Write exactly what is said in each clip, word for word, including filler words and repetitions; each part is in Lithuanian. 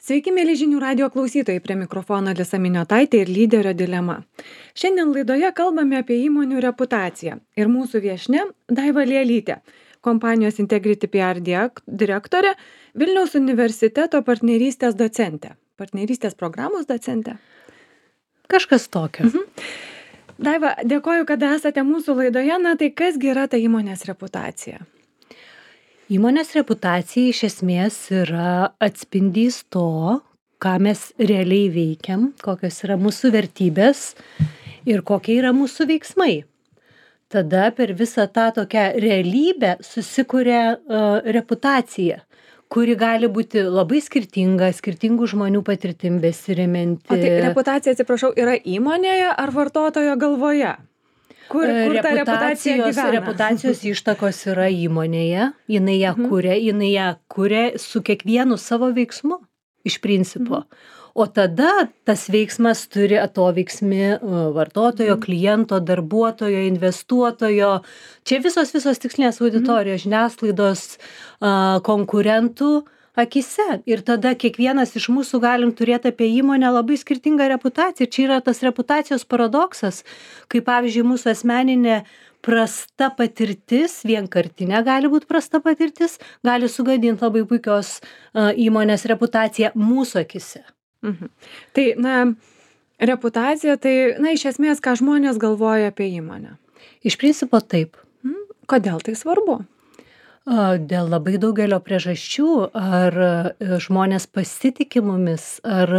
Sveiki, mėly žinių radio klausytojai, prie mikrofono Alisa Miniotaitė ir lyderio dilema. Šiandien laidoje kalbame apie įmonių reputaciją ir mūsų viešnia Daiva Lielytė, kompanijos Integrity P R direktorė, Vilniaus universiteto partnerystės docentė, partnerystės programos docentė. Kažkas tokio. Mhm. Daiva, dėkoju, kad esate mūsų laidoje. Na tai kasgi yra ta įmonės reputacija? Įmonės reputacija iš esmės yra atspindys to, ką mes realiai veikiam, kokios yra mūsų vertybės ir kokie yra mūsų veiksmai. Tada per visą tą tokią realybę susikuria uh, reputacija, kuri gali būti labai skirtinga, skirtingų žmonių patirtim besiremianti. O tai reputacija, atsiprašau, yra įmonėje ar vartotojo galvoje? Kur, kur ta reputacija gyvena? Reputacijos ištakos yra įmonėje, jinai ją Mhm. kuria, jinai ją kuria su kiekvienu savo veiksmu iš principo. O tada tas veiksmas turi atoveiksmį uh, vartotojo, kliento, darbuotojo, investuotojo. Čia visos visos tikslinės auditorijos, žiniasklaidos, uh, konkurentų akise. Ir tada kiekvienas iš mūsų galim turėti apie įmonę labai skirtingą reputaciją. Čia yra tas reputacijos paradoksas, kai pavyzdžiui mūsų asmeninė prasta patirtis, vienkartinė gali būti prasta patirtis, gali sugadinti labai puikios uh, įmonės reputaciją mūsų akise. Mhm. Tai, na, reputacija, tai, na, iš esmės, ką žmonės galvoja apie įmonę. Iš principo taip. Mhm. Kodėl tai svarbu? Dėl labai daugelio priežasčių, ar žmonės pasitikė mumis, ar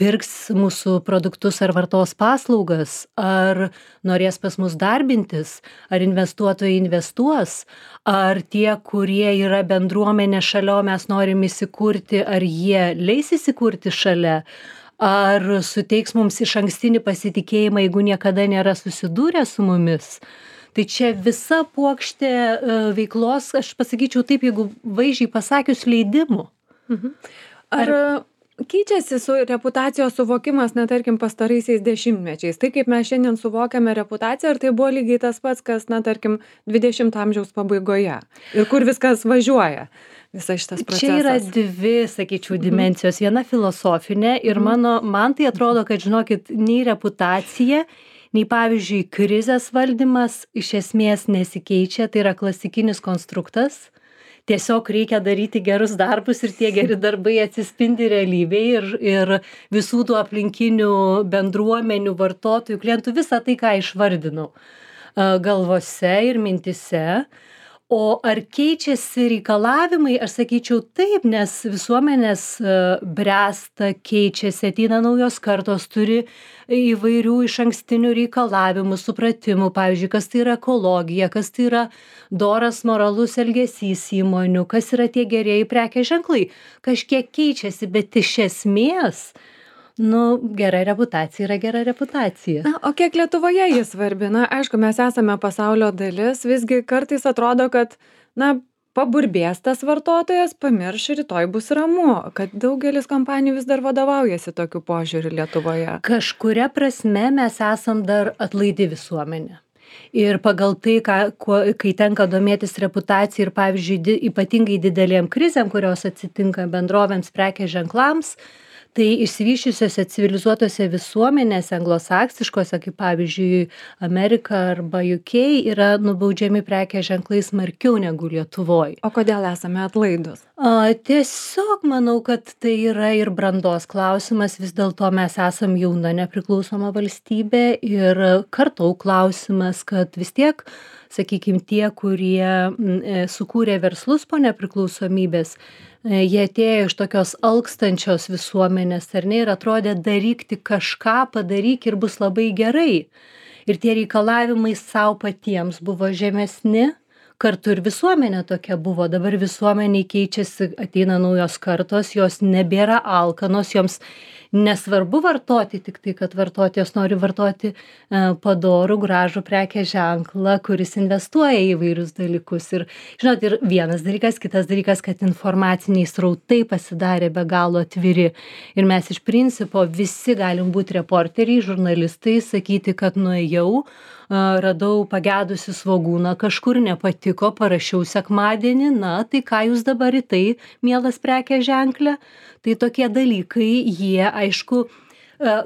pirks mūsų produktus ar vartos paslaugas, ar norės pas mus darbintis, ar investuotojai investuos, ar tie, kurie yra bendruomenė šalia, o mes norim įsikurti, ar jie leis įsikurti šalia, ar suteiks mums išankstinį pasitikėjimą, jeigu niekada nėra susidūrę su mumis. Tai čia visa puokštė veiklos, aš pasakyčiau taip, jeigu vaizdžiai pasakius, leidimų. Mhm. Ar, Ar keičiasi su reputacijos suvokimas, na, tarkim, pastaraisiais dešimtmečiais? Tai kaip mes šiandien suvokiame reputaciją, ar tai buvo lygiai tas pats, kas, na, tarkim, dvidešimto amžiaus pabaigoje? Ir kur viskas važiuoja? Visas šitas procesas. Čia yra dvi, sakyčiau, dimensijos. Viena filosofinė ir mano, man tai atrodo, kad, žinokit, nei reputacija, nei pavyzdžiui krizės valdymas iš esmės nesikeičia, tai yra klasikinis konstruktas. Tiesiog reikia daryti gerus darbus ir tie geri darbai atsispindi realybėje ir, ir visų tų aplinkinių bendruomenių, vartotojų, klientų, visą tai, ką išvardinau galvose ir mintise. O ar keičiasi reikalavimai, aš sakyčiau taip, nes visuomenės bręsta, keičiasi, ateina naujos kartos, turi įvairių išankstinių reikalavimų, supratimų, pavyzdžiui, kas tai yra ekologija, kas tai yra doras moralus elgesys įmonių, kas yra tie gerieji prekės ženklai. Kažkiek keičiasi, bet iš esmės, nu, gera reputacija yra gera reputacija. Na, o kiek Lietuvoje jis svarbi? Na, aišku, mes esame pasaulio dalis, visgi kartais atrodo, kad, na, paburbės tas vartotojas, pamirš ir rytoj bus ramu, kad daugelis kompanijų vis dar vadovaujasi tokiu požiūriu Lietuvoje. Kažkuria prasme mes esam dar atlaidi visuomenė. Ir pagal tai, ką, kuo, kai tenka domėtis reputacija ir, pavyzdžiui, di, ypatingai didelėm krizėm, kurios atsitinka bendrovėms, prekės ženklams, tai išsivysčiusiose civilizuotose visuomenėse, anglosaksiškose, kaip pavyzdžiui Amerika arba U K, yra nubaudžiami prekės ženklai smarkiau negu Lietuvoje. O kodėl esame atlaidus? A, tiesiog manau, kad tai yra ir brandos klausimas, vis dėlto mes esam jauna nepriklausoma valstybė ir kartų klausimas, kad vis tiek, sakykime, tie, kurie m, sukūrė verslus po nepriklausomybės, jie atėjo iš tokios alkstančios visuomenės, ar ne, ir atrodė daryk tik kažką, padaryk ir bus labai gerai. Ir tie reikalavimai savo patiems buvo žemesni, kartu ir visuomenė tokia buvo. Dabar visuomeniai keičiasi, ateina naujos kartos, jos nebėra alkanos, joms nesvarbu vartoti, tik tai, kad vartotojas nori vartoti e, padorų, gražų prekės ženklą, kuris investuoja į įvairius dalykus. Ir, žinot, ir vienas dalykas, kitas dalykas, kad informaciniai srautai pasidarė be galo atviri. Ir mes iš principo visi galim būti reporteriai, žurnalistai, sakyti, kad nuėjau, radau pagedusi svogūną, kažkur nepatiko, parašiau sekmadienį, na, tai ką jūs dabar į tai, mielas prekės ženklė? Tai tokie dalykai, jie, aišku,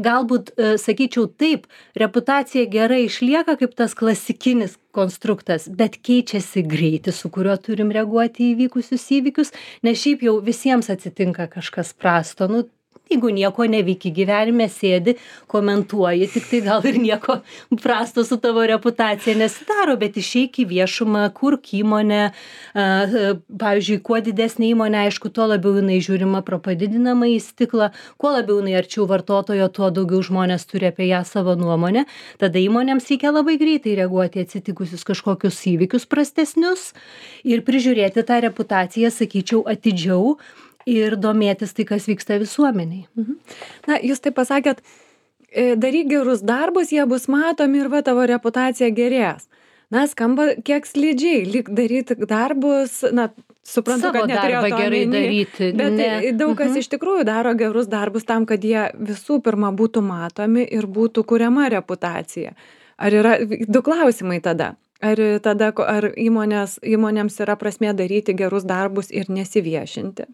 galbūt, sakyčiau taip, reputacija gerai išlieka kaip tas klasikinis konstruktas, bet keičiasi greitis, su kuriuo turim reaguoti į įvykusius įvykius, nes šiaip jau visiems atsitinka kažkas prasto. Nu, jeigu nieko nevyki gyvenime, sėdi, komentuoji, tik tai gal ir nieko prasto su tavo reputacija nesidaro, bet išeik į viešumą, kurk įmonę, pavyzdžiui, kuo didesnė įmonė, aišku, tuo labiau jinai žiūrima pro padidinamą į stiklą, kuo labiau jinai arčiau vartotojo, tuo daugiau žmonės turi apie ją savo nuomonę, tada įmonėms reikia labai greitai reaguoti atsitikusius kažkokius įvykius prastesnius ir prižiūrėti tą reputaciją, sakyčiau, atidžiau, ir domėtis tai, kas vyksta visuomeniai. Mhm. Na, jūs taip pasakėt, daryk gerus darbus, jie bus matomi ir va tavo reputacija gerės. Na, skamba kiek slidžiai, lyg daryti darbus, na, suprantu, Savo kad neturėjo darbą to gerai omeny, daryti. bet Ne. daug kas Mhm. iš tikrųjų daro gerus darbus tam, kad jie visų pirma būtų matomi ir būtų kuriama reputacija. Ar yra du klausimai tada? Ar tada, ar įmonės, įmonėms yra prasmė daryti gerus darbus ir nesiviešinti?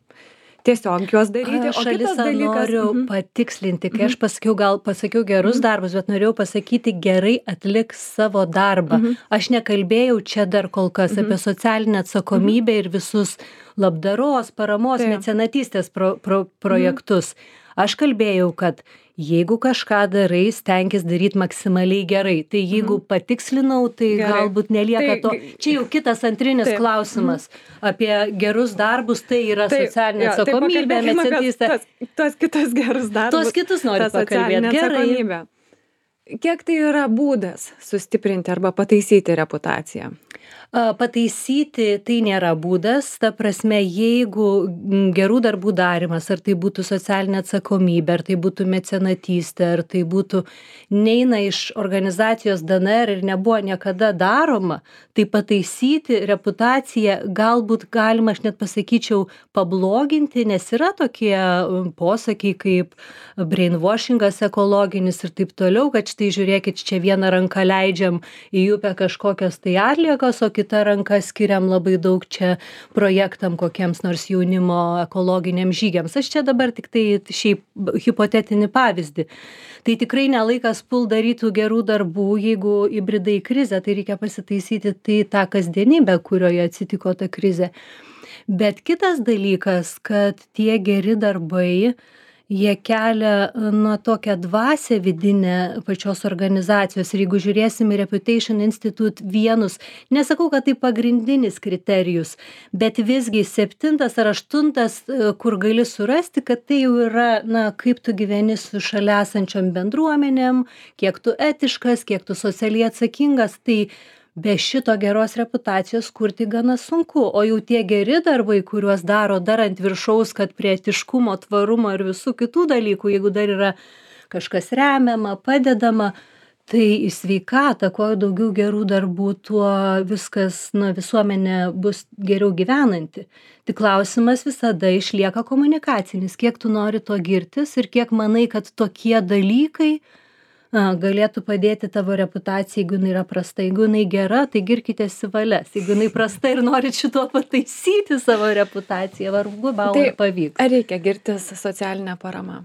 Tiesiog juos daryti, Aš o kitas Alisa dalykas... noriu Mhm. patikslinti, kai aš pasakiau, gal pasakiau gerus darbus, bet norėjau pasakyti gerai atliks savo darbą. Mhm. Aš nekalbėjau čia dar kol kas apie socialinę atsakomybę ir visus labdaros, paramos, Taip. mecenatystės pro, pro, projektus. Aš kalbėjau, kad jeigu kažką darai, stenkis daryti maksimaliai gerai. Tai jeigu patikslinau, tai Gerai. galbūt nelieka Tai- to. Čia jau kitas antrinis Taip. klausimas. Apie gerus darbus tai yra Taip, socialinė jo, tai atsakomybė, pakalbėkime, kas mecenatystė. tas- Tuos kitus gerus darbus. Tuos kitus noriu ta socialinė pakalbėti. Gerai. atsakomybė. Kiek tai yra būdas sustiprinti arba pataisyti reputaciją? A, Pataisyti tai nėra būdas, ta prasme, jeigu m, gerų darbų darimas, ar tai būtų socialinė atsakomybė, ar tai būtų mecenatystė, ar tai būtų neina iš organizacijos D N R ir nebuvo niekada daroma, tai pataisyti reputaciją galbūt galima, aš net pasakyčiau, pabloginti, nes yra tokie um, posakiai kaip brainwashingas ekologinis ir taip toliau, kad štai žiūrėkit, čia vieną ranką leidžiam į upę kažkokias tai atliekas, o kita ranka skiriam labai daug čia projektam kokiems nors jaunimo ekologiniams žygiams. Aš čia dabar tik tai šiaip hipotetinį pavyzdį. Tai tikrai nelaikas pult darytų gerų darbų, jeigu įbridai į krizę, tai reikia pasitaisyti tai tą kasdienybę, kurioje atsitiko ta krizė. Bet kitas dalykas, kad tie geri darbai, jie kelia na tokią dvasią vidinę pačios organizacijos. Ir jeigu žiūrėsim į Reputation Institute vienus, nesakau, kad tai pagrindinis kriterijus, bet visgi septintas ar aštuntas, kur gali surasti, kad tai jau yra, na, kaip tu gyveni su šalia esančiom bendruomenėm, kiek tu etiškas, kiek tu socialiai atsakingas, tai be šito geros reputacijos kurti gana sunku, o jau tie geri darbai, kuriuos daro dar ant viršaus, kad prie etiškumo, tvarumo ir visų kitų dalykų, jeigu dar yra kažkas remiama, padedama, tai į sveikatą, kuo daugiau gerų darbų, tuo viskas, na, visuomenė bus geriau gyvenanti. Tik klausimas visada išlieka komunikacinis, kiek tu nori to girtis ir kiek manai, kad tokie dalykai a, galėtų padėti tavo reputacijai, jeigu jinai yra prasta. Jeigu jinai gera, tai girkitės į valias. Jeigu jinai prasta ir norit šituo pataisyti savo reputaciją, vargu bau Tai ar pavyks. ar reikia girtis socialinę paramą?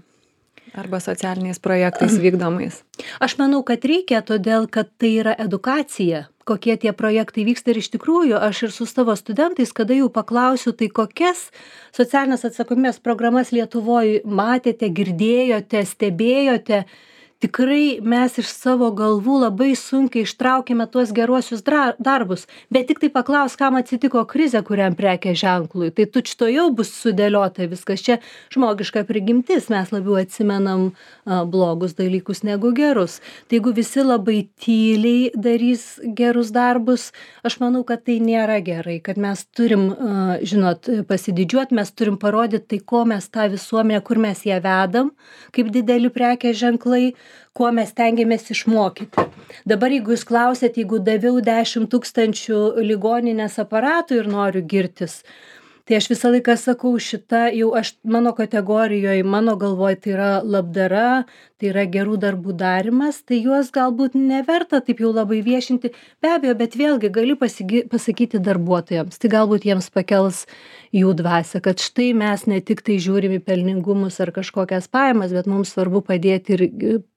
Arba socialiniais projektais vykdomais? Aš manau, kad reikia, todėl kad tai yra edukacija, kokie tie projektai vyksta ir iš tikrųjų aš ir su savo studentais, kada jau paklausiu, tai kokias socialinės atsakomybės programas Lietuvoje matėte, girdėjote, stebėjote, tikrai mes iš savo galvų labai sunkiai ištraukėme tuos geruosius dra- darbus, bet tik tai paklaus, kam atsitiko krizė kuriam prekės ženklui, tai tučto jau bus sudėliota viskas, čia žmogiška prigimtis, mes labiau atsimenam a, blogus dalykus negu gerus. Tai jeigu visi labai tyliai darys gerus darbus, aš manau, kad tai nėra gerai, kad mes turim, a, žinot, pasididžiuoti, mes turim parodyti, tai ko mes tą visuomenę, kur mes ją vedam, kaip dideli prekės ženklai, kuo mes stengiamės išmokyti. Dabar jeigu jūs klausėt, jeigu daviau dešimt tūkstančių ligoninės aparatų ir noriu girtis, Tai aš visą laiką sakau, šita jau aš mano kategorijoje, mano galvoj tai yra labdara, tai yra gerų darbų darimas, tai juos galbūt neverta taip jau labai viešinti. Be abejo, bet vėlgi gali pasigi, pasakyti darbuotojams, tai galbūt jiems pakels jų dvasią, kad štai mes ne tik tai žiūrim į pelningumus ar kažkokias pajamas, bet mums svarbu padėti ir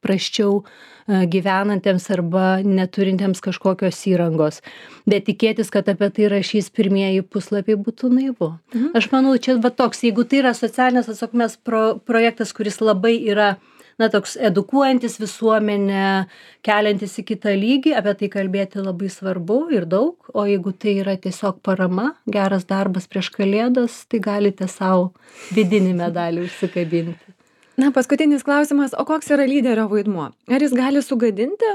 prasčiau gyvenantiems arba neturintiems kažkokios įrangos. Bet tikėtis, kad apie tai rašys pirmieji puslapiai, būtų naivu. Mhm. Aš manau, čia va toks, jeigu tai yra socialinės atsakomybės pro, projektas, kuris labai yra, na, toks edukuojantis visuomenę, keliantis į kitą lygį, apie tai kalbėti labai svarbu ir daug, o jeigu tai yra tiesiog parama, geras darbas prieš Kalėdas, tai galite savo vidinį medalį užsikabinti. Na, paskutinis klausimas, o koks yra lyderio vaidmuo? Ar jis gali sugadinti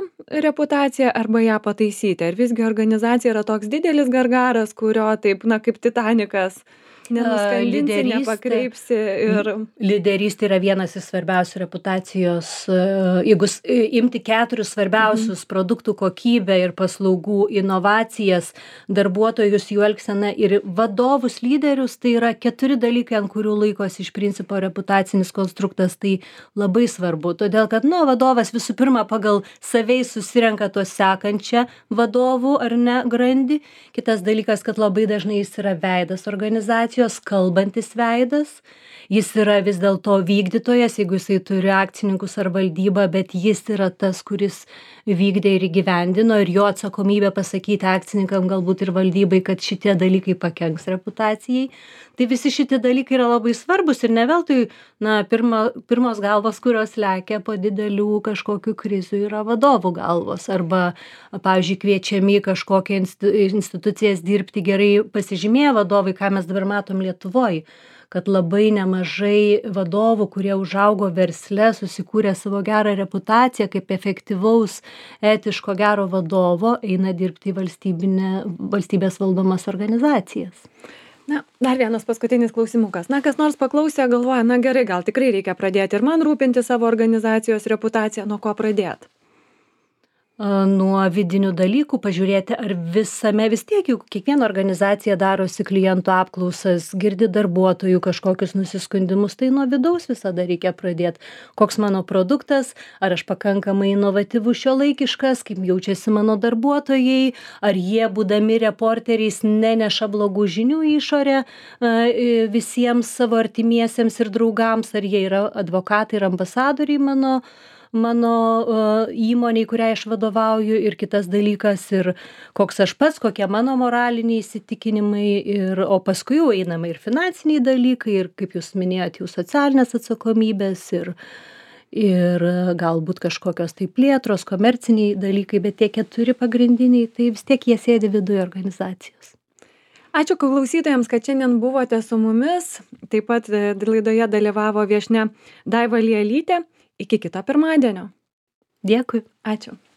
reputaciją arba ją pataisyti? Ar visgi organizacija yra toks didelis gargaras, kurio taip, na, kaip Titanikas, nenuskandinsi, nepakreipsi ir... Lyderystė yra vienas iš svarbiausių reputacijos, jeigu imti keturis svarbiausius mhm. produktų kokybę ir paslaugų inovacijas, darbuotojus, jų elgseną ir vadovus, lyderius, tai yra keturi dalykai, ant kurių laikosi iš principo reputacinis konstruktas, tai labai svarbu, todėl kad, nu, vadovas visų pirma pagal savei susirenka to sekančią vadovų ar ne grandį, kitas dalykas, kad labai dažnai jis yra veidas organizacijos, kalbantis veidas, jis yra vis dėlto vykdytojas, jeigu jisai turi akcininkus ar valdybą, bet jis yra tas, kuris vykdė ir įgyvendino ir jo atsakomybė pasakyti akcininkam galbūt ir valdybai, kad šitie dalykai pakenks reputacijai. Tai visi šitie dalykai yra labai svarbus ir ne veltui, na, pirma, pirmos galvos, kurios lekia po didelių kažkokių krizių, yra vadovų galvos arba, pavyzdžiui, kviečiami kažkokią institucijas dirbti gerai pasižymėję vadovai, ką mes dabar matom Lietuvoj, kad labai nemažai vadovų, kurie užaugo versle, susikūrė savo gerą reputaciją kaip efektyvaus, etiško, gero vadovo, eina dirbti į valstybinę, valstybės valdomas organizacijas. Na, dar vienas paskutinis klausimukas. Na, kas nors paklausė, galvoja, na gerai, gal tikrai reikia pradėti ir man rūpinti savo organizacijos reputaciją, nuo ko pradėti? Nuo vidinių dalykų pažiūrėti, ar visame vis tiek, juk kiekviena organizacija darosi klientų apklausas, girdi darbuotojų kažkokius nusiskundimus, tai nuo vidaus visada reikia pradėti. Koks mano produktas, ar aš pakankamai inovatyvus, šiuolaikiškas, kaip jaučiasi mano darbuotojai, ar jie, būdami reporteriais, neneša blogų žinių į išorę visiems savo artimiesiems ir draugams, ar jie yra advokatai ir ambasadoriai mano mano uh, įmoniai, kuriai aš vadovauju, ir kitas dalykas, ir koks aš pats, kokie mano moraliniai įsitikinimai, ir, o paskui jau einama ir finansiniai dalykai, ir, kaip jūs minėjote, jų socialinės atsakomybės, ir, ir galbūt kažkokios tai plėtros, komerciniai dalykai, bet tie keturi pagrindiniai, tai vis tiek jie sėdi viduje organizacijos. Ačiū klausytojams, kad šiandien buvote su mumis. Taip pat laidoje dalyvavo viešnia Daiva Lielytė. Iki kito pirmadienio. Dėkui. Ačiū.